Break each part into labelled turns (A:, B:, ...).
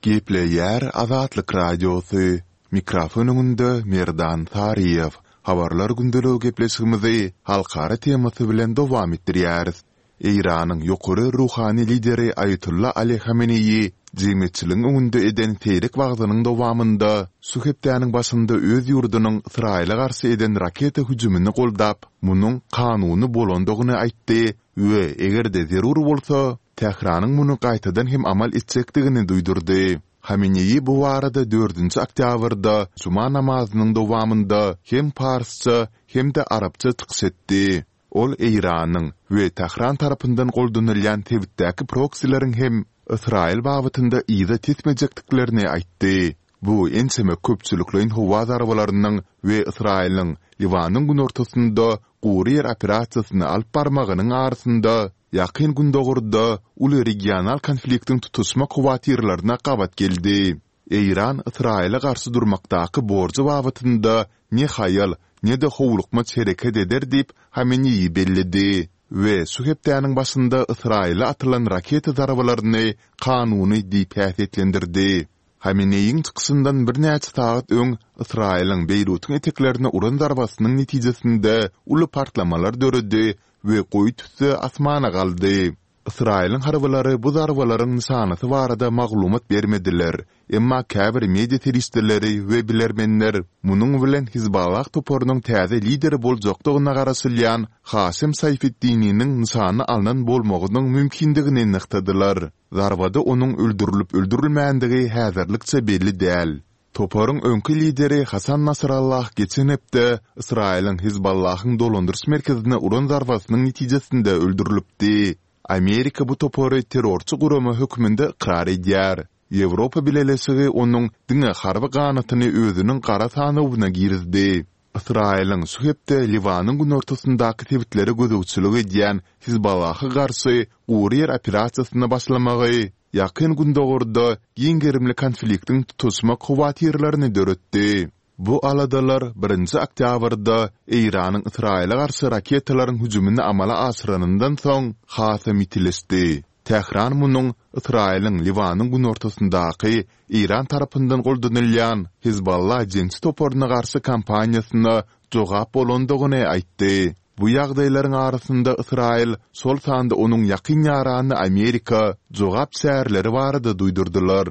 A: Gepleýär Azatlyk Radiosy, Mikrofon öňünde Merdan Saryýew. Habarlar gündeligi gepleşigimizi halkara temasy bilen dowam etdirýäris. Eýranyň ýokary ruhany lideri Aýatolla Ali Hameneýi jemgyýetçiligiň öňünde eden seýrek wagzynyň dowamynda şu hepdäniň başynda öz ýurdunyň Ysraýyla garşy eden raketa hüjümini goldap, munuň kanuny bolandygyny aýtdy we eger-de zerur bolsa, Tähranyň muny gaýtadan hem amal etjekdigini duýdurdy. Hameneýi bu barada dördünji oktýabrda juma namazynyň dowamynda hem parsça, hem-de arapça çykyş etdi. Ol Eýranyň we Tähran tarapyndan goldanylýan sebitdäki proksileriň hem Ysraýyl babatynda yza tesmejekdiklerini aýtdy. Bu ençeme köpçülikleýin howa zarbalarynyň we Ysraýylyň Liwanyň günortasynda gury ýer operasiýasyny alyp barmagynyň arasynda Ýakyn Gündogarda uly regional konfliktiň tutuşmak howatyrlaryna gabat geldi. Eýran Ysraýyla garşy durmakdaky borjy babatynda ne haýal, ne-de howlukmaç hereket eder diýip, Hameneýi belledi we şu hepdäniň başynda Ysraýyla atylan raketa zarbalaryny kanuny diýip häsiýetlendirdi. Hameneýiň çykyşyndan birnäçe sagat öň Ysraýylyň Beýrutyň eteklerine uran zarbasynyň netijesinde uly partlamalar döredi we goýy tüsse asmana galdy. Ysraýylyň harbylary bu zarbalaryň nyşanasy barada maglumat bermediler, emma käbir media serişdeleri we bilermenler munuň bilen Hizballah toparynyň täze lideri boljakdygyna garaşylýan Haşem Saýfeddininiň nyşana alnan bolmagynyň mümkindigini nygtadylar. Zarbada onuň öldürilip-öldürilmändigi häzirlikçe belli däl. Toparyň öňki lideri Hasan Nasrallah geçen hepde Ysraýylyň Hizballahyň dolandyryş merkezine uran zarbasynyň netijesinde öldürilipdi. Amerika bu topary terrorçy gurama hökmünde ykrar edýär. Ýewropa Bileleşigi onuň diňe harby ganatyny özüniň gara sanawyna girizdi. Ysraýylyň şu hepde Liwanyň günortasyndaky sebitlere gözegçilik edýän Hizballaha garşy gury ýer operasiýasyna başlamagy Ýakyn Gündogarda giň gerimli konfliktiň tutaşmak howatyrlaryny döretdi. Bu aladalar birinji oktýabrda Eýranyň Ysraýyla garşy raketalaryň hüjümini amala aşyranyndan soň hasam ýitileşdi. Tähran munuň Ysraýylyň Liwanyň günortasyndaky Eýran tarapyndan goldanylýan Hezbollah jeňçi toparyna garşy kampaniýasyna jogap bolandygyny aýtdy. Bu ýagdaýlaryň arasynda Ysraýyl, şol sanda onuň ýakyn ýarany Amerika jogap çäreleri barada duýdurdylar.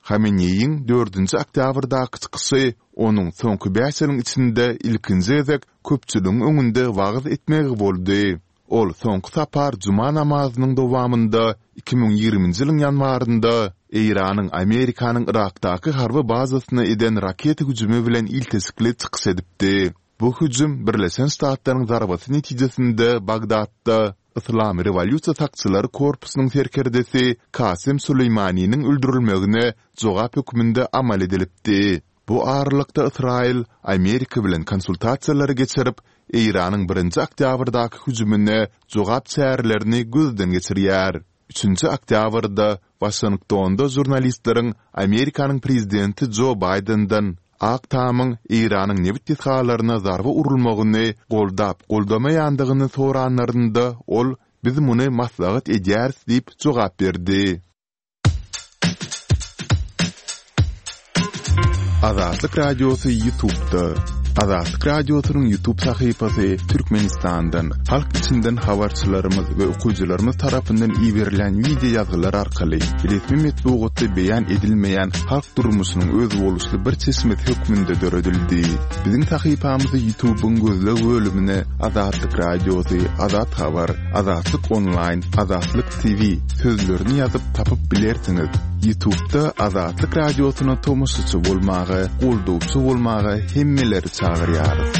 A: Hameneýiň dördünji oktýabrdaky çykyşy onuň soňky bäş ýylyň içinde ilkinji gezek köpçüligiň öňünde wagyz etmegi boldy. Ol soňky sapar juma namazynyň dowamynda 2020-nji ýylyň ýanwarynda Eýranyň Amerikanyň Yrakdaky harby bazasyna eden raketa hüjümi bilen ilteşikli çykyş edipdi. Bu hüjüm Birleşen Ştatlaryň zarbasy netijesinde Bagdatda Yslam rewolýusiýa sakçylary korpusynyň serkerdesi Kasem Suleýmaniniň öldürilmegine jogap hökmünde amal edilipdi. Bu aralykda Ysraýyl Amerika bilen konsultasiýalary geçirip, Eýranyň birinji oktýabrdaky hüjümine jogap çärelerini gözden geçirýär. Üçünji oktýabrda Waşingtonda žurnalistleriň Amerikanyň prezidenti Jo Baýdenden Ak Tamyň Eýranyň nebit desgalaryna zarba urulmagyny goldap-goldamaýandygyny soranlarynda ol Biz muny maslahat edýäris diýip jogap berdi. Azatlyk Radiosy Ýutubda. Azatlyk Radiosynyň Ýutub sahypasy Türkmenistandan, halk içinden habarçylarymyz we okyjylarymyz tarapyndan iberilen wideo ýazgylar arkaly resmi metbugatda beýan edilmeýän halk durmuşynyň özboluşly bir çeşmesi hökmünde döredildi. Biziň sahypamyzy Ýutubyň gözleg bölümine Azatlyk Radiosy, Azat Habar, Azatlyk Onlaýn, Azatlyk TV sözlerini ýazyp tapyp bilersiňiz. Ýutubda Azatlyk Radiosyna tomaşaçy bolmaga, goldawçy bolmaga hemmeleri çagyrýarys.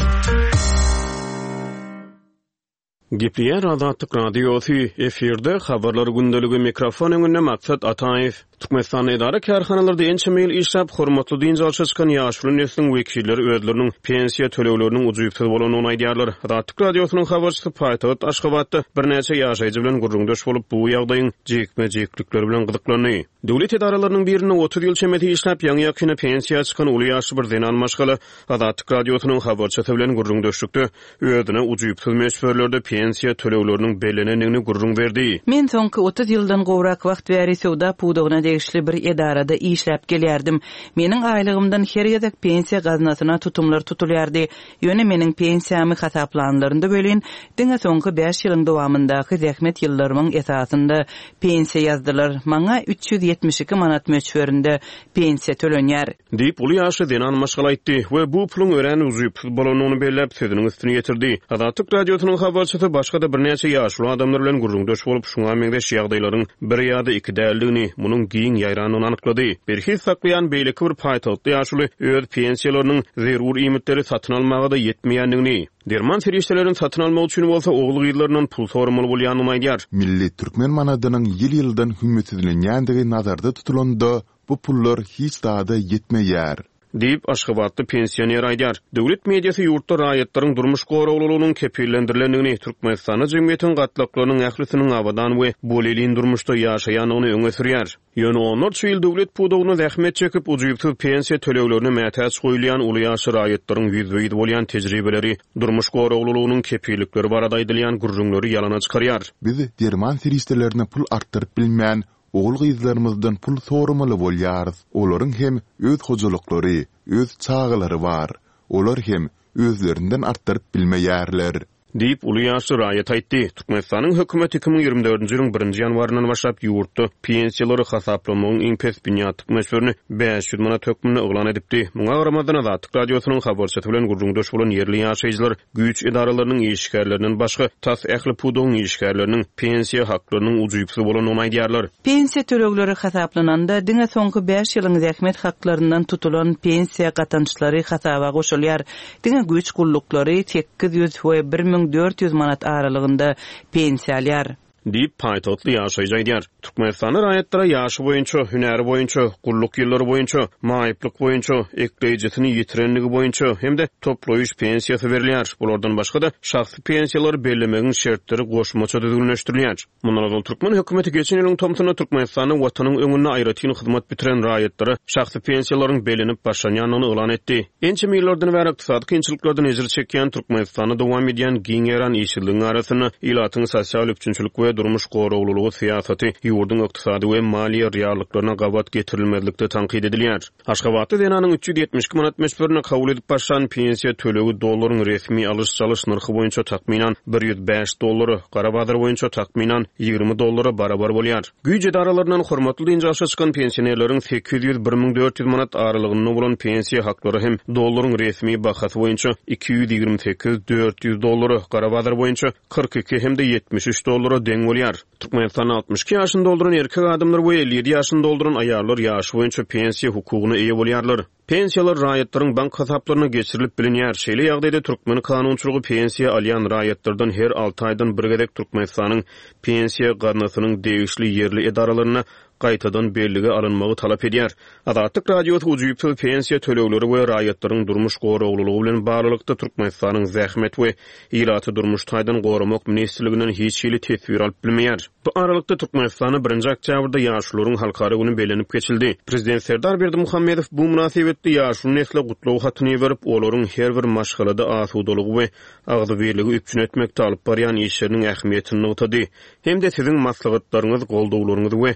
B: Gepleýär Azatlyk Radiosy, efirde Habarlar gündeligi, mikrofon öňünde Maksat Ataýew. Türkmenistanda edara-kärhanalarda ençeme ýyl işläp, hormatly dynç alşa çykan ýaşuly nesliň wekilleri özleriniň pensiýa tölegleriniň ujypsyz bolandygyny aýdýarlar. Azatlyk Radiosynyň habarçysy paýtagt Aşgabatda birnäçe ýaşaýjy bilen gürrüňdeş bolup, bu ýagdaýyň jikme-jiklikleri bilen gyzyklandy. Döwlet edaralarynyň birinde 30 ýyl çemesi işläp, ýaňy-ýakynda pensiýa çykan uly ýaşly bir zenan maşgala Azatlyk Radiosynyň habarçysy bilen gürrüňdeşlikde özüne ujypsyz möçberlerde pensiýa tölegleriniň bellenendigini gürrüň berdi.
C: Men soňky 30 ýyldan gowrak wagt bäri söwda pudagyna degişli bir edarada işläp gelýärdim. Meniň aýlygymdan her gezek pensiýa gaznasyna tutumlar tutulýardy. Ýöne meniň pensiýamy hasaplanlarynda welin, diňe soňky bäş ýylyň dowamyndaky zähmet ýyllarymyň esasynda pensiýa ýazdylar. Maňa 372 manat möçberinde pensiýa tölenýär.
B: Diýip, uly ýaşly zenan maşgala aýtdy we bu puluň örän ujypsyz bolandygyny belläp, sözüniň üstüni ýetirdi. Azatlyk Radiosynyň habarçysy başga-da birnäçe ýaşuly adamlar bilen gürrüňdeş bolup, şuňa meňzeş ýagdaýlaryň bir ýa-da iki däldigini, munuň giň ýaýrandygyny anyklady. Berhiz saklaýan beýleki bir paýtagtly ýaşuly öz pensiýalarynyň zerur iýmitleri satyn almaga-da ýetmeýändigini, derman serişdelerini satyn almak üçin bolsa ogul-gyzlaryndan pul soramaly bolýandygyny aýdýar.
A: Milli türkmen manadynyň ýyl-ýyldan hümmetsizlenýändigi nazarda tutulanda, bu pullar hiç zada ýetmeýär.
B: Diýip, aşgabatly pensioner aýdýar. Döwlet mediasy ýurtda raýatlaryň durmuş goraglylygynyň kepillendirilendigini, Türkmenistanda jemgyýetiň gatlaklarynyň ählisiniň abadan we bolelin durmuşda ýaşaýandygyny öňe sürýär. Ýöne onlarça ýyl döwlet pudagynda zähmet çekip, ujypsyz pensiýa töleglerine mätäç goýulýan uly ýaşly raýatlaryň ýüzbe-ýüz bolýan tejribeleri durmuş goraglylygynyň kepillikleri barada aýdylýan gürrüňleri ýalana çykarýar.
A: Biz derman serişdelerine pul artdyryp bilmän, Ogul-gyzlarymyzdan pul soramaly bolýarys. Olaryň hem öz hojalyklary, öz çagalary bar. Olar hem özlerinden artdyryp bilmeýärler.
B: Diýip, uly ýaşly raýat aýtdy. Türkmenistanyň hökümeti 2024-nji ýylyň birinji ýanwaryndan başlap ýurtda pensiýalary hasaplamagyň iň pes binýatlyk möçberini 500 manat hökmünde yglan edipdi. Muňa garamazdan, Azatlyk Radiosynyň habarçysy bilen gürrüňdeş bolan ýerli ýaşaýjylar Güýç edaralarynyň işgärlerinden başga, tas ähli pudagyň işgärleriniň pensiýa haklarynyň ujypsyz bolandygyny aýdýarlar.
C: Pensiýa tölegleri hasaplananda, diňe soňky bäş ýylyň zähmet haklaryndan tutulan pensiýa gatançlary hasaba goşulýar. Diňe güýç gulluklary 800 we 1400 manat aralygynda pensiýa alýar.
B: Diýip, paýtagtly ýaşaýjy aýdýar. Türkmenistanda raýatlara ýaşy boýunça, hünäri boýunça, gulluk ýyllary boýunça, maýyplyk boýunça, ekleýjisini ýitirenligi boýunça hem-de toplaýyş pensiýasy berilýär. Bulardan başga-da, şahsy pensiýalary bellemegiň şertleri goşmaça düzgünleşdirilýär. Mundan ozal türkmen hökümeti geçen ýylyň tomsunda Türkmenistanda Watanyň öňünde aýratyn hyzmat bitiren raýatlara şahsy pensiýalaryň bellenip başlanýandygyny yglan etdi. Ençeme ýyllardan bäri ykdysady kynçylyklardan ejir çekýän Türkmenistanda dowam edýän giň ýaýran işsizligiň arasynda ilatyň sosial üpjünçilik we durmuş goraglylygy syýasaty ýurduň ykdysady we maliýe reallyklaryna gabat getirilmezlikde tankyt edilýär. Aşgabatly zenanyň 372 manat möçberinde kabul edip başlan pensiýa tölegi dollaryň resmi alyş-çalyş nyrhy boýunça takmynan 105 dollara, gara bazar boýunça takmynan 20 dollara barabar bolýar. Güýç edaralaryndan hormatly dynç alşa çykan pensionerleriň 800, 1400 manat aralygynda bolan pensiýa haklary hem dollaryň resmi bahasy boýunça 228, 400 dollara, gara bazar boýunça 42 hem-de 73 dollara deň bolýar. Türkmenistanda 62 ýaşyny dolduran erkek adamlar we 57 ýaşyny dolduran aýallar ýaşy boýunça pensiýa hukugyna eýe bolýarlar. Pensiýalar raýatlaryň bank hasaplaryna geçirilip bilinýär. Şeýle ýagdaýda türkmen kanunçylygy pensiýa alýan raýatlardan her alty aýdan bir gezek Türkmenistanyň Pensiýa gaznasynyň degişli ýerli edaralarynda gaýtadan bellige alynmagy talap edýär. Azatlyk Radiosy ujypsyz pensiýa tölegleri we raýatlaryň durmuş goraglylygy bilen baglylykda Türkmenistanyň Zähmet we ilaty durmuş taýdan goramak ministrliginden hiç hili teswir alyp bilmeýär. Bu aralykda, Türkmenistanda birinji oktýabrda Ýaşulularyň halkara güni bellenip geçildi. Prezident Serdar Berdimuhamedow bu mynasybetli ýaşuly nesle gutlag hatyny iberip, olaryň her bir maşgalada asudalygy we agzybirligi üpjün etmekde alyp barýan işleriniň ähmiýetini nygtady hem-de siziň maslahatlaryňyz, goldawlaryňyz we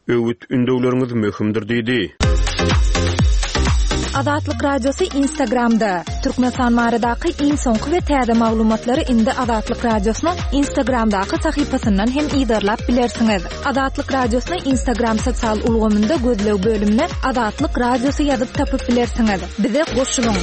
B: Öwüt-ündewleriňiz möhümdir diýdi.
D: Azatlyk Radiosy Instagramda, Türkmenistan baradaky iň soňky we täze maglumatlary indi Azatlyk Radiosynyň Instagramdaky sahypasyndan hem yzarlap bilersiňiz. Azatlyk Radiosyny Instagram sosial ulgamynda gözleg bölümine Azatlyk Radiosy ýazyp tapyp bilersiňiz. Bize goşulyň!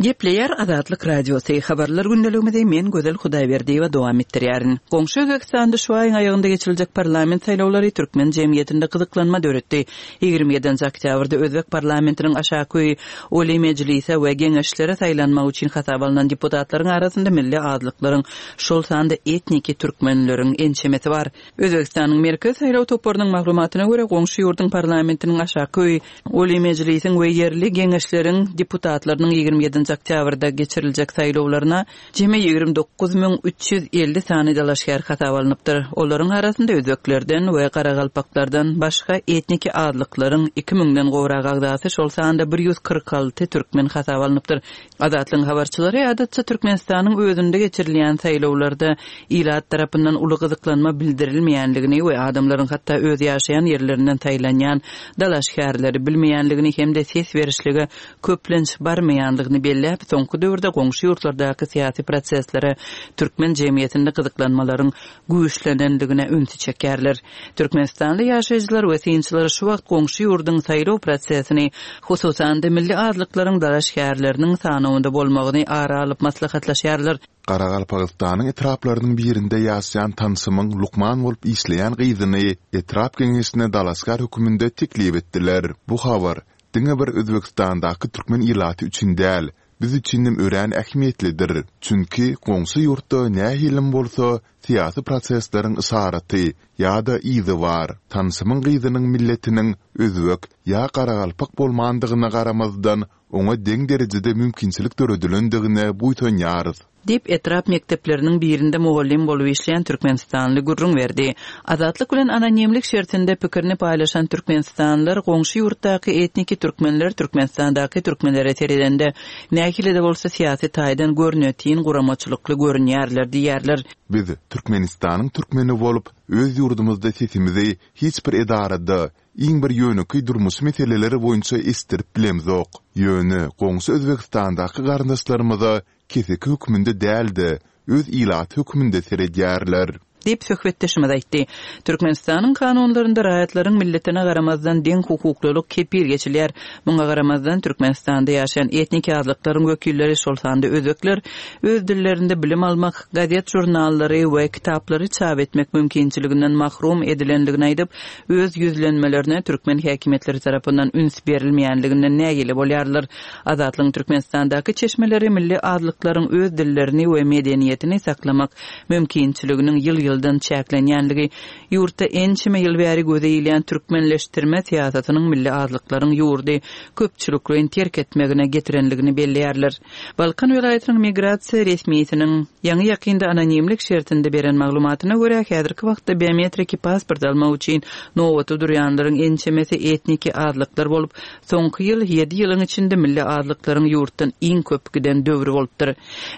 C: Gepleýär Azatlyk Radiosy, Habarlar gündeligimizi men Gözel Hudaýberdiýewa dowam etdirýärin. Goňşy Özbegistanda şu aýyň aýagynda geçiriljek parlament saýlawlary türkmen jemgyýetinde gyzyklanma döretdi. 27-nji oktýabrda özbek parlamentiniň aşaky öýi Oliý Mejlise we Geňeşlere saýlanmak üçin hasaba alnan deputatlaryň arasynda milli azlyklaryň, şol sanda etniki türkmenleriň ençemesi bar. Özbegistanyň Merkezi saýlaw toparynyň maglumatyna görä, goňşy ýurduň parlamentiniň aşaky öýi, Oliý Mejlisiň we ýerli geňeşleriň deputatlarynyň 27-nji. nji oktýabrda geçiriljek saýlawlaryna jemi 29 350 sany dalaşgär hasaba alnypdyr. Olaryň arasynda özbeklerden we garagalpaklardan başga etniki azlyklaryň iki müňden gowrak agzasy, şol sanda 146 türkmen hasaba alnypdyr. Azatlygyň habarçylary adatça Türkmenistanyň özünde geçirilýän saýlawlarda ilat tarapyndan uly gyzyklanma bildirilmeýänligini we adamlaryň hatda öz ýaşaýan ýerlerinden saýlanýan dalaşgärleri bilmeýänligini hem-de ses berişlige köplenç barmaýanlygyny belläp, soňky döwürde goňşy ýurtlardaky syýasy proseslere türkmen jemgyýetinde gyzyklanmalaryň güýçlenendigine ünsi çekýärler. Türkmenistanly ýaşaýjylar we synçylar şu wagt goňşy ýurduň saýlaw prosesini, hususan-da milli azlyklaryň dalaşgärleriniň sanawynda bolmagyny ara alyp maslahatlaşýarlar.
A: Garagalpagystanyň etraplarynyň birinde ýaşaýan tanşymyň lukman bolup işleýän gyzyny etrap geňeşine dalaşgär höküminde teklip etdiler. Bu habar diňe bir Özbegistandaky türkmen ilaty üçin däl, biz üçinem örän ähmiýetlidir. Çünki goňşy ýurtda nähilem bolsa syýasy prosesleriň yşaraty ýa-da yzy bar. Tanşymyň gyzynyň milletiniň özbek ýa garagalpak bolmandygyna garamazdan, oňa deň derejede mümkinçilik döredilendigine buýsanýarys.
C: Diýip, etrap mekdepleriniň birinde mugallym bolup işleýän türkmenistanly gürrüň berdi. Azatlyk bilen anonimlik şertinde pikirini paýlaşan türkmenistanlylar goňşy ýurtdaky etniki türkmenler Türkmenistandaky türkmenlere seredende nähili-de bolsa syýasy taýdan görnetin guramaçylykly görünýärler diýýärler.
A: Biz Türkmenistanyň türkmeni bolup, öz ýurdumyzda sesimizi hiç bir edarada, iň bir ýönekeý durmuşy meseleler boýunça eşitdirip bilemzok. Ýöne goňşy Özbegistandaky garyndaşlarymyza keseki hökmünde däl-de, öz ilaty hökmünde seredýärler.
C: Diýip, söhbetdeşimiz aýtdy. Türkmenistanyň kanunlarynda raýatlaryň milletine garamazdan deň hukuklylyk kepil geçilýär. Muňa garamazdan, Türkmenistanda ýaşaýan etniki azlyklaryň wekilleri, şol sanda özbekler öz dillerinde bilim almak, gazet-žurnallary we kitaplary çap etmek mümkinçiliginden mahrum edilendigini aýdyp, öz ýüzlenmelerine türkmen häkimiýetleri tarapyndan üns berilmeýänliginden nägile bolýarlar. Azatlygyň Türkmenistandaky çeşmeleri milli azlyklaryň öz dillerini we medeniýetini saklamak mümkinçiliginiň ýyl-ýyldan çäklenýänligi, ýurtda ençeme ýyl bäri göze ilýän türkmenleşdirme syýasatynyň milli azlyklaryň ýurdy köpçülikleýin terk etmegine getirenligini belleýärler. Balkan welaýatynyň migrasiýa resmisiniň ýaňy-ýakynda anonimlik şertinde beren maglumatyna görä, häzirki wagtda biometriki pasport almak üçin nobata durýanlaryň ençemesi etniki azlyklar bolup, Soňky ýyl ýedi ýylyň içinde milli azlyklaryň ýurtdan iň köp giden döwri bolupdyr.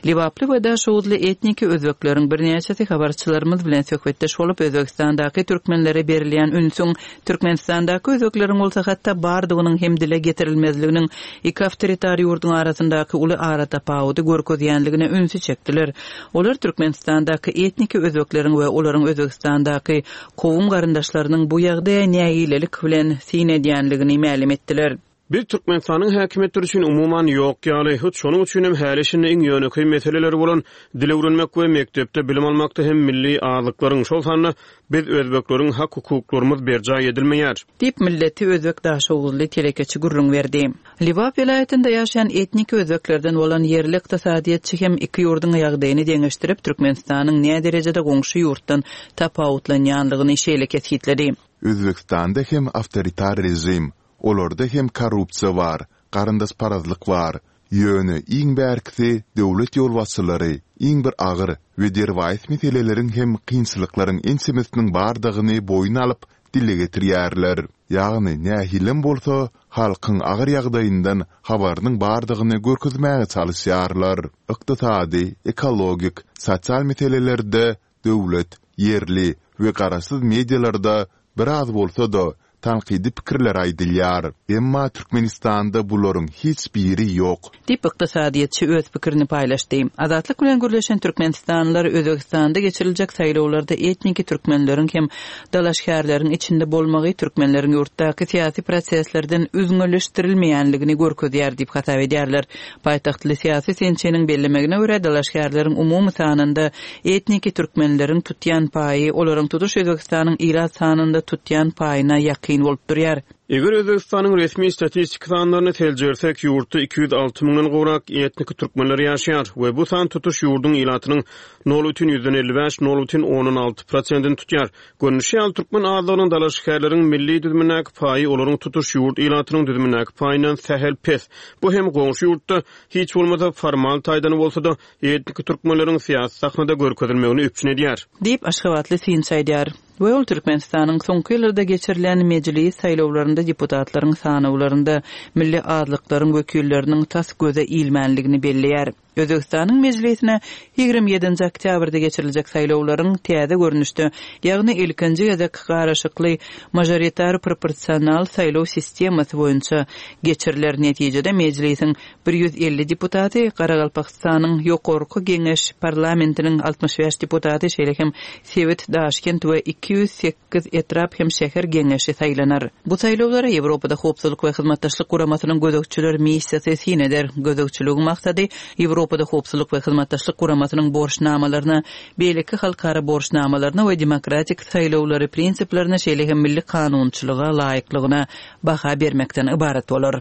C: Lebaply we daşoguzly etniki özbekleriň birnäçesi habarçylarymyz bilen söhbetdeş bolup, Özbegistandaky türkmenlere berilýän ünsüň, Türkmenistandaky özbekleriň bolsa hatda bardygynyň hem dile getirilmezliginiň iki awtoritar ýurduň arasyndaky uly aratapawudy görkezýänligine ünsi çekdiler. Olar Türkmenistandaky etniki özbekleriň we olaryň Özbegistandaky Kowum-garyndaşlarynyň bu ýagdaýa nägilelik bilen syn edýänligini mälim etdiler.
B: Biz Türkmenistanyň häkimiýetleri üçin umuman ýok ýaly, hut şonuň üçinem häli-şindi iň ýönekeý meseleleri bolan dil öwrenmek we mekdepde bilim almakda hem milli azlyklaryň, şol sanda biz özbekleriň hak-hukuklarymyz berjaý edilmeýär.
C: Diýip, milleti özbek daşoguzly telekeçi gürrüň berdi. Lebap welaýatynda ýaşaýan etniki özbeklerden bolan ýerli ykdysadyýetçi hem iki ýurduň ýagdaýyny deňeşdirip, Türkmenistanyň näderejede goňşy ýurtdan tapawutlanýanlygyny şeýle kesgitledi.
A: Özbegistanda hem awtoritar režim, olarda hem korrupsiýa bar, garyndaşparazlyk bar. Ýöne iň bärkisi döwlet ýolbaşçylary iň bir agyr we derwaýys meseleleriň hem kynçylyklaryň ençemesiniň bardygyny boýun alyp, dile getirýärler. Ýagny nähilem bolsa halkyň agyr ýagdaýyndan habarynyň bardygyny görkezmäge çalyşýarlar. Ykdysady, ekologik, sosial meselelerde döwlet, ýerli we garaşsyz medialarda biraz bolsa-da tankydy pikirler aýdylýar. Emma Türkmenistanda bularyň hiç biri ýok.
C: Diýip, ykdysadyýetçi öz pikirini paýlaşdy. Azatlyk bilen gürleşen türkmenistanlylar Özbegistanda geçiriljek saýlawlarda etniki türkmenleriň hem dalaşgärleriň içinde bolmagy türkmenleriň ýurtdaky syýasy proseslerden üzňeleşdirilmeýänligini görkezýär diýip hasap edýärler. Paýtagtly syýasy synçynyň bellemegine görä, dalaşgärleriň umumy sanynda etniki türkmenleriň tutýan paýy olaryň tutuş Özbegistanyň ilat sanynda tutýan paýyna ýakyn bolup durýar.
B: Eger Özbegistanyň resmi statistiki sanlaryny seljersek, ýurtda 206 müňden gowrak etniki türkmenler ýaşaýar we bu san tutuş ýurduň ilatynyň nol bütin ýüzden 55, nol bütin ondan alty prosentini tutýar. Görnüşi ýaly, türkmen azlygynyň dalaşgärleriň milli düzümindäki paýy olaryň tutuş ýurt ilatynyň düzümindäki paýyndan sähel pes. Bu hem goňşy ýurtda, hiç bolmasa formal taýdan bolsa-da, etniki türkmenleriň syýasy sahnada görkezilmegini üpjün edýär.
C: Diýip, aşgabatly synçy aýdýar. We ol Türkmenistanyň soňky ýyllarda geçirilen Mejlis saýlawlarynda deputatlaryň sanawlarynda milli azlyklaryň wekilleriniň tas göze ilmänligini belleýär. Özbegistanyň Mejlisine 27-nji oktýabrda geçiriljek saýlawlaryň täze görnüşde, ýagny ilkinji gezek garyşykly mažoritar-proporsional saýlaw sistemasy boýunça geçiriler. Netijede Mejlisiň 150 deputaty, Garagalpagystanyň Ýokarky Geňeş parlamentiniň 65 deputaty, şeýle hem sebit, Daşkent we 208 etrap hem şäher geňeşi saýlanar. Bu saýlawlara Ýewropada Howpsuzlyk we Hyzmatdaşlyk Guramasynyň gözegçiler missiýasy syn eder. Gözegçiligiň maksady Ýewropada Howpsuzlyk we Hyzmatdaşlyk Guramasynyň borçnamalaryna, beýleki halkara borçnamalaryna we demokratik saýlawlary prinsiplerine, şeýle hem milli kanunçylyga laýyklygyna baha bermekden ybarat bolar.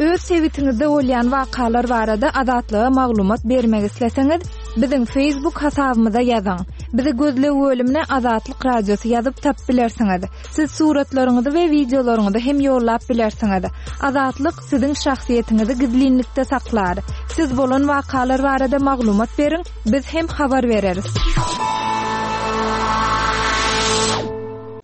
D: Öz sebitiňizde bolýan wakalar barada Azatlyga maglumat bermek isleseňiz, biziň Facebook hasabymyza ýazyň. Bizi gözleg bölümine Azatlyk Radiosy ýazyp tapyp bilersiňiz. Siz suratlaryňyzy we wideolaryňyzy hem ýollap bilersiňiz. Azatlyk siziň şahsyýetiňizi gizlinlikde saklar. Siz bolan wakalar barada maglumat beriň, biz hem habar bereris.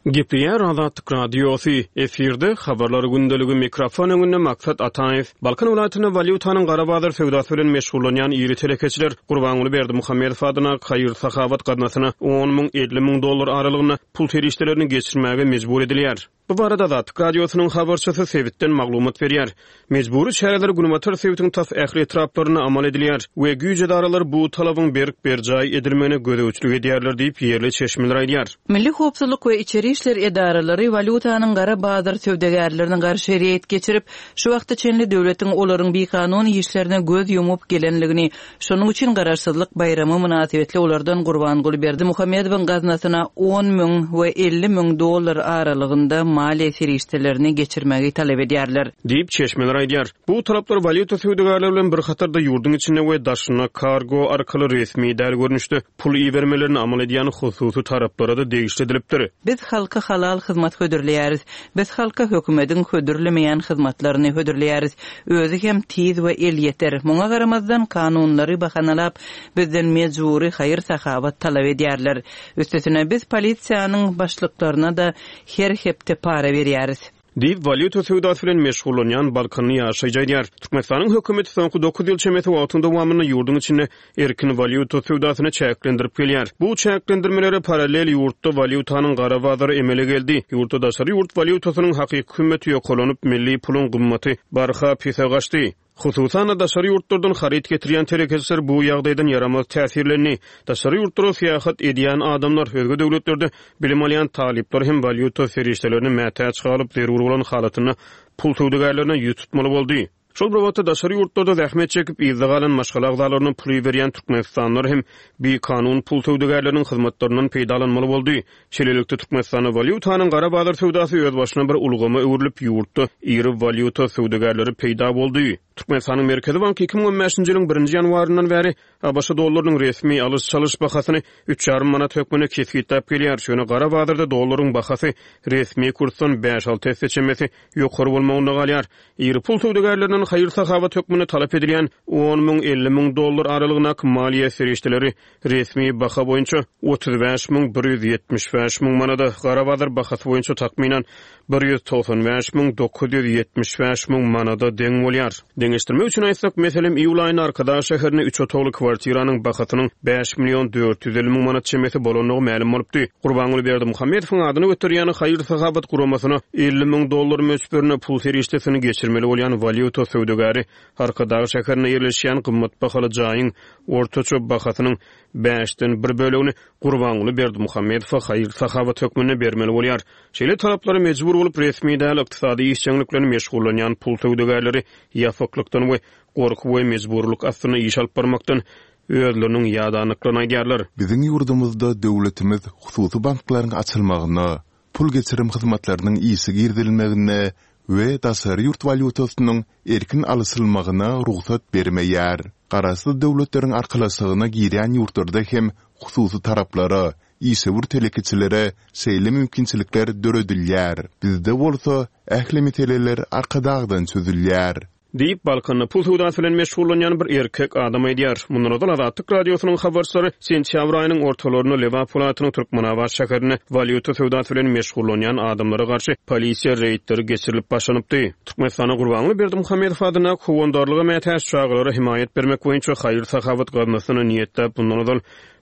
B: Gepleýär Azatlyk Radiosy, efirde Habarlar gündeligi, mikrofon öňünde Maksat Ataýew. Balkan welaýatynda walýutanyň gara bazar söwdasy bilen meşgullanýan iri telekeçiler Gurbanguly Berdimuhamedow adyndaky haýyr-sahawat gaznasyna on müň, 50 müň dollar aralygynda pul serişdelerini geçirmäge mejbur edilýär. Bu barada Azatlyk Radiosynyň habarçysy sebitden maglumat berýär. Mejbury çäreler günbatar sebitiň tas ähli etraplarynda amal edilýär we güýç edaralary bu talabyň berk berjaý edilmegine gözegçilik edýärler diýip, ýerli çeşmeler aýdýar.
C: Milli howpsuzlyk we içeri işler edaralary walýutanyň gara bazar söwdagärlerine garşy reýd geçirip, şu wagta çenli döwletiň olaryň bikanun işlerine göz ýumup gelenligini Şonuň üçin Garaşsyzlyk baýramy mynasybetli olardan Gurbanguly Berdimuhamedowyň gaznasyna on müň we 50 müň dollar aralygynda maliýe serişdelerini geçirmegi talap edýärler.
B: Diýip, çeşmeler aýdýar. Bu talaplar walýuta söwdagärleri bilen bir hatarda ýurduň içinde we daşynda kargo arkaly resmi däl görnüşde pul ibermelerini amal edýän hususy taraplara-da degişli edilipdir.
C: Biz halka halal hyzmat hödürleýäris. Biz halka hökümediň hödürlemeýän hyzmatlaryny hödürleýäris. Özi hem tiz we elýeter. Muňa garamazdan, kanunlary bahanalap, bizden mejbury haýyr-sahawat talap edýärler. Üstesine, biz polisiýanyň başlyklaryna-da her hepde para berýäris.
B: Diýip, walýuta söwdasy bilen meşgullanýan balkanly ýaşaýjy aýdýar. Türkmenistanyň hökümeti soňky dokuz ýyl çemesi wagtyň dowamynda ýurduň içinde erkin walýuta söwdasyny çäklendirip gelýär. Bu çäklendirmelere parallel ýurtda walýutanyň gara bazary emele geldi. Ýurtda daşary ýurt walýutasynyň hakyky hümmeti ýokarlanyp, milli puluň gymmaty barha pese gaçdy. Hususan-da, daşary ýurtlardan haryt getirýän telekeçiler bu ýagdaýdan ýaramaz täsirlendi. Daşary ýurtlara syýahat edýän adamlar, özge döwletlerde bilim alýan talyplar hem walýuta serişdelerine mätäç galyp, zerur bolan halatynda pul söwdagärlerine ýüz tutmaly boldy. Şol bir wagtda, daşary ýurtlarda zähmet çekip, yzda galan maşgala agzalaryna pul iberýän türkmenistanlylar hem bikanun pul söwdagärleriniň hyzmatlaryndan peýdalanmaly boldy. Şeýlelikde, Türkmenistanda walýutanyň gara bazar söwdasy özbaşyna bir ulgama öwrülip, ýurtda iri walýuta söwdagärleri peýda boldy. Türkmenistanyň Merkezi banky 2015-nji ýylyň birinji ýanwaryndan bäri ABŞ dollarynyň resmi alyş-çalyş bahasyny üç ýarym manat hökmünde kesgitläp gelýär, ýöne gara bazarda dollaryň bahasy resmi kursdan bäş-alty esse çemesi ýokary bolmagynda galýar. Iri pul söwdagärlerinden haýyr-sahawat hökmünde talap edilýän on müň, 50 müň dollar aralygyndaky maliýe serişdeleri resmi baha boýunça 35 müň 175 müň manada, gara bazar bahasy boýunça takmynan 195 müň 975 müň manada deň bolýar. Deňeşdirmek üçin aýtsak, meselem, iýul aýynda Arkadag şäherinde üç otagly kwartiranyň bahasynyň bäş million 450 müň manat çemesi bolandygy mälim bolupdy. Gurbanguly Berdimuhamedowyň adyny göterýän haýyr-sahawat guramasyna 50 müň dollar möçberinde pul serişdesini geçirmeli bolýan walýuta söwdagäri Arkadag şäherinde ýerleşýän gymmat bahaly jaýyň ortaça bahasynyň bäşden bir bölegini Gurbanguly Berdimuhamedowa haýyr-sahawat hökmünde bermeli bolýar. Şeýle talaplara mejbur bolup, resmi däl ykdysady işjeňlik bilen meşgullanýan pul söwdagärleri ýapyklykdan we gorky we mejburylyk astynda iş alyp barmakdan. özleriniň ýadandyklaryny aýdýarlar.
A: Biziň ýurdumyzda döwletimiz hususy banklaryň açylmagyna, pul geçirim hyzmatlarynyň işe girizilmegine we daşary ýurt walýutasynyň erkin alyşylmagyna rugsat bermeýär. Garaşsyz Döwletleriň Arkalaşygyna girýän ýurtlarda hem hususy taraplara, işewür telekeçilere şeýle mümkinçilikler döredilýär. Bizde bolsa ähli meseleler Arkadagdan çözülýär.
B: Diýip, Balkanda pul söwdasy bilen meşgullanýan bir erkek adam aýdýar. Mundan ozal Azatlyk Radiosynyň habarçylary sentýabr aýynyň ortalarynda Lebap welaýatynyň Türkmenabat şäherinde walýuta söwdasy bilen meşgullanýan adamlara garşy polisiýa reýdleri geçirilip başlanypdy. Türkmenistanda Gurbanguly Berdimuhamedow adyndaky Howandarlyga mätäç çagalara hemaýat bermek boýunça haýyr-sahawat gaznasyna niýetläp mundan ozal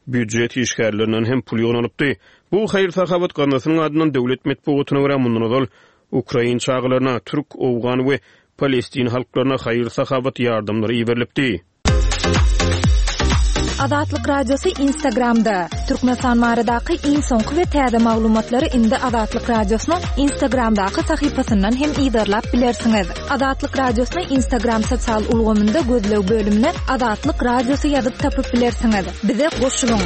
B: býujet işgärlerinden hem pul ýygnalypdy. Bu haýyr-sahawat gaznasynyň adyndan döwlet metbugatyna görä mundan ozal Ukrain çagalaryna, türk, owgan we palestin halklaryna haýyr-sahawat ýardamlary iberilipdi.
D: Azatlyk Radiosy Instagramda, Türkmenistan baradaky iň soňky we täze maglumatlary indi Azatlyk Radiosynyň Instagramdaky sahypasyndan hem yzarlap bilersiňiz. Azatlyk Radiosyny Instagram sosial ulgamynda gözleg bölümine Azatlyk Radiosy ýazyp tapyp bilersiňiz. Bize goşulyň!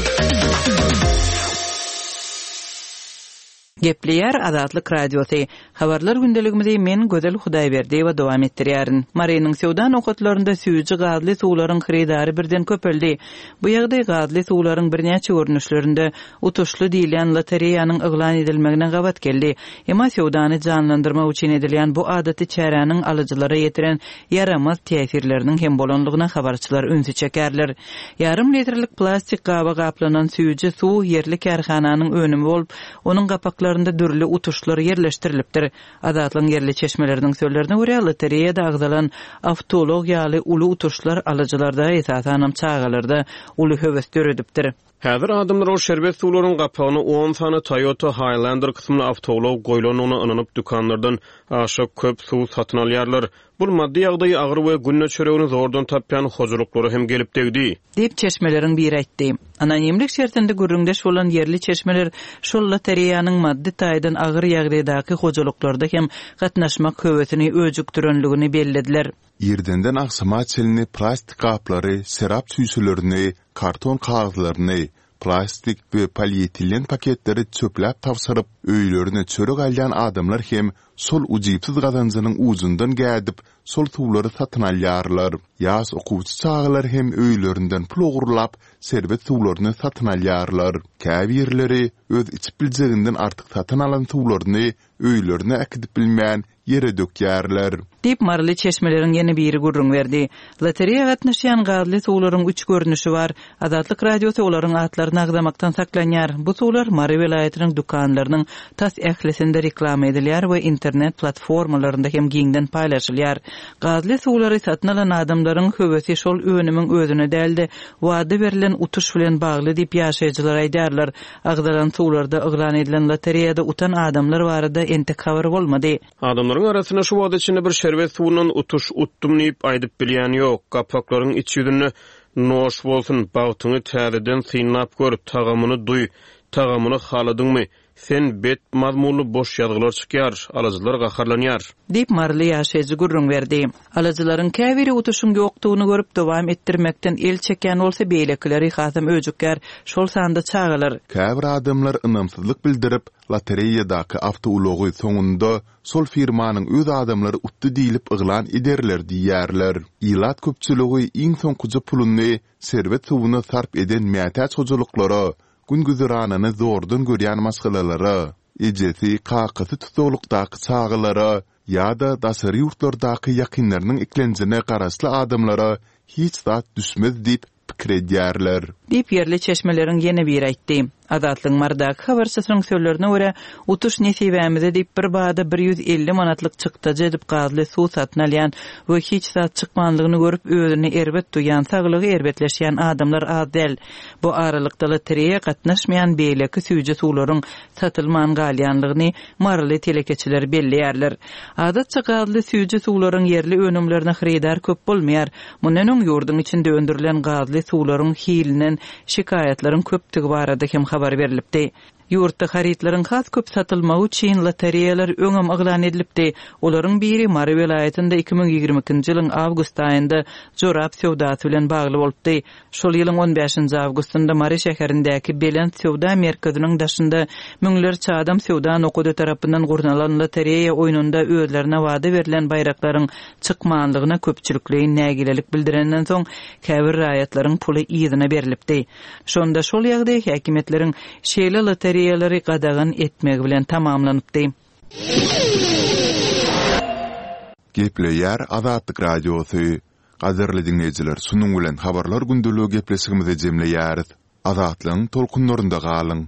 C: Gepleýär Azatlyk Radiosy. Habarlar gündeligimizi men, Gözel Hudaýberdiýewa dowam etdirýärin. Marynyň söwda nokatlarynda süýji gazly suwlaryň hyrydary birden köpeldi. Bu ýagdaý gazly suwlaryň birnäçe görnüşlerinde utuşly diýilýän lotereýanyň yglan edilmegine gabat geldi. Emma söwdany janlandyrmak üçin edilýän bu adaty çäräniň alyjylara ýetiren ýaramaz täsirleriniň hem bolanlygyna habarçylar ünsi çekerler. Ýarym litrlik plastik gaba gaplanan süýji suw ýerli kärhananyň önümi bolup, onuň gapaklarynda dürli utuşlar ýerleşdirilipdir. Azatlygyň ýerli çeşmeleriniň sözlerine görä, lotereýada agzalan awtoulag ýaly uly utuşlar alyjylarda, esasanam çagalarda uly höwes döredipdir.
B: Häzir adamlar ol şerbet suwlaryň gapagyna on sany Toyota Highlander kysymly awtoulag goýlandygyna ynanyp dükanlardan aşa köp suw satyn alýarlar. Bul maddy ýagdaýy agyr we günde çöregini zordan tapýan hojalyklara hem gelip degdi.
C: Diýip, çeşmeleriň biri aýtdy. Anonimlik şertinde gürrüňdeş bolan ýerli çeşmeler şol lotereýanyň maddy taýdan agyr ýagdaýdaky hojalyklarda hem gatnaşmak höwesini öjükdirenligini bellediler.
A: Irdenden agşama çenli plastik gaplary, şerap çüýşelerini, karton kagyzlaryny, plastik we polietilen paketleri çöpläp tabşyryp, öýlerine çörek alýan adamlar hem şol ujypsyz gazanjynyň ujundan gädip, şol suwlary satyn alýarlar. Ýaş okuwçy çagalar hem öýlerinden pul ogurlap, şerbet suwlaryny satyn alýarlar. Käbirleri öz içip biljeginden artyk satyn alan suwlaryny öýlerine äkidip bilmän, ýere dökýärler.
C: Diýip, maryly çeşmeleriň ýene biri gürrüň berdi. Lotereýa gatnaşýan gazly suwlaryň üç görnüşi bar. Azatlyk Radiosy olaryň atlaryny agzamakdan saklanýar. Bu suwlar Mary welaýatynyň dükanlarynyň tas ählisinde reklama edilýär we internet platformalarynda hem giňden paýlaşylýar. Gazly suwlary satyn alan adamlaryň höwesi şol önümiň özüne däl-de, wada berlen utuş bilen bagly diýip, ýaşaýjylar aýdýarlar. Agzalan suwlarda yglan edilen lotereýada utan adamlar barada entek habar bolmady.
B: Adamlaryň arasynda şu wagta çenli bir şerbet suwundan utuş utdum diýip aýdyp bilýän ýok. Gapaklaryň iç ýüzünde Noş bolsun, bagtyňy täzeden synlap gör, tagamyny duý, tagamyny haladyňmy, sen bet mazmunly boş ýazgylar çykýar, alyjylar gaharlanýar.
C: Diýip, maryly ýaşaýjy gürrüň berdi. Alyjylaryň käbiri utuşyň ýokdugyny görüp, dowam etdirmekden el çekýän bolsa, beýlekileri hasam öjükýär, şol sanda çagalar.
A: Käbir adamlar ynamsyzlyk bildirip, lotereýadaky awtoulagy soňunda şol firmanyň öz adamlary utdy diýlip yglan ederler diýýärler. Ilat köpçüligi iň soňkuja puluny şerbet suwuna sarp eden mätäç hojalyklara, gün-güzeranyny zordan görýän maşgalalara, ejesi, kakasy tussaglykdaky çagalara ýa-da daşary ýurtlardaky ýakynlarynyň eklenjine garaşly adamlara hiç zat düşmez diýip pikir edýärler.
C: Diýip, ýerli çeşmeleriň ýene biri aýtdy. Azatlygyň Marydaky habarçysynyň sözlerine görä, utuş nesibämize diýip, bir bada 150 manatlyk çykdajy edip gazly suw satyn alýan we hiç zat çykmanlygyny görüp, özüni erbet duýýan, saglygy erbetleşýän adamlar az däl. Bu aralykda lotereýa gatnaşmaýan beýleki süýji suwlaryň satylman galýanlygyny maryly telekeçiler belleýärler. Adatça gazly süýji suwlaryň ýerli önümlerine hyrydar köp bolmaýar. Mundan öň ýurduň içinde öndürilen gazly suwlaryň hilinden şikaýatlaryň köpdügi barada hem habar berlipdi. Ýurtda harytlaryň has köp satylmagy üçin lotereýalar öňem yglan edilipdi. Olaryň biri Mary welaýatynda 2022-nji ýylyň awgust aýynda jorap söwdasy bilen bagly bolupdy. Şol ýylyň on bäşinji awgustynda Mary şäherindäki Belent söwda merkeziniň daşynda müňlerçe adam söwda nokady tarapyndan gurnalan lotereýa oýnunda özlerine wada berlen baýraklaryň çykmanlygyna köpçülikleýin nägilelik bildirenden soň, käbir raýatlaryň puly yzyna berlipdi. Şonda şol ýagdaý häkimiýetleriň şeýle lotereýalary gadagan etmegi bilen tamamlanypdy.
A: Gepleýär Azatlyk Radiosy. Gadyrly diňleýjiler, şunuň bilen Habarlar gündeligi gepleşigimizi jemleýäris. Azatlygyň tolkunlarynda galyň!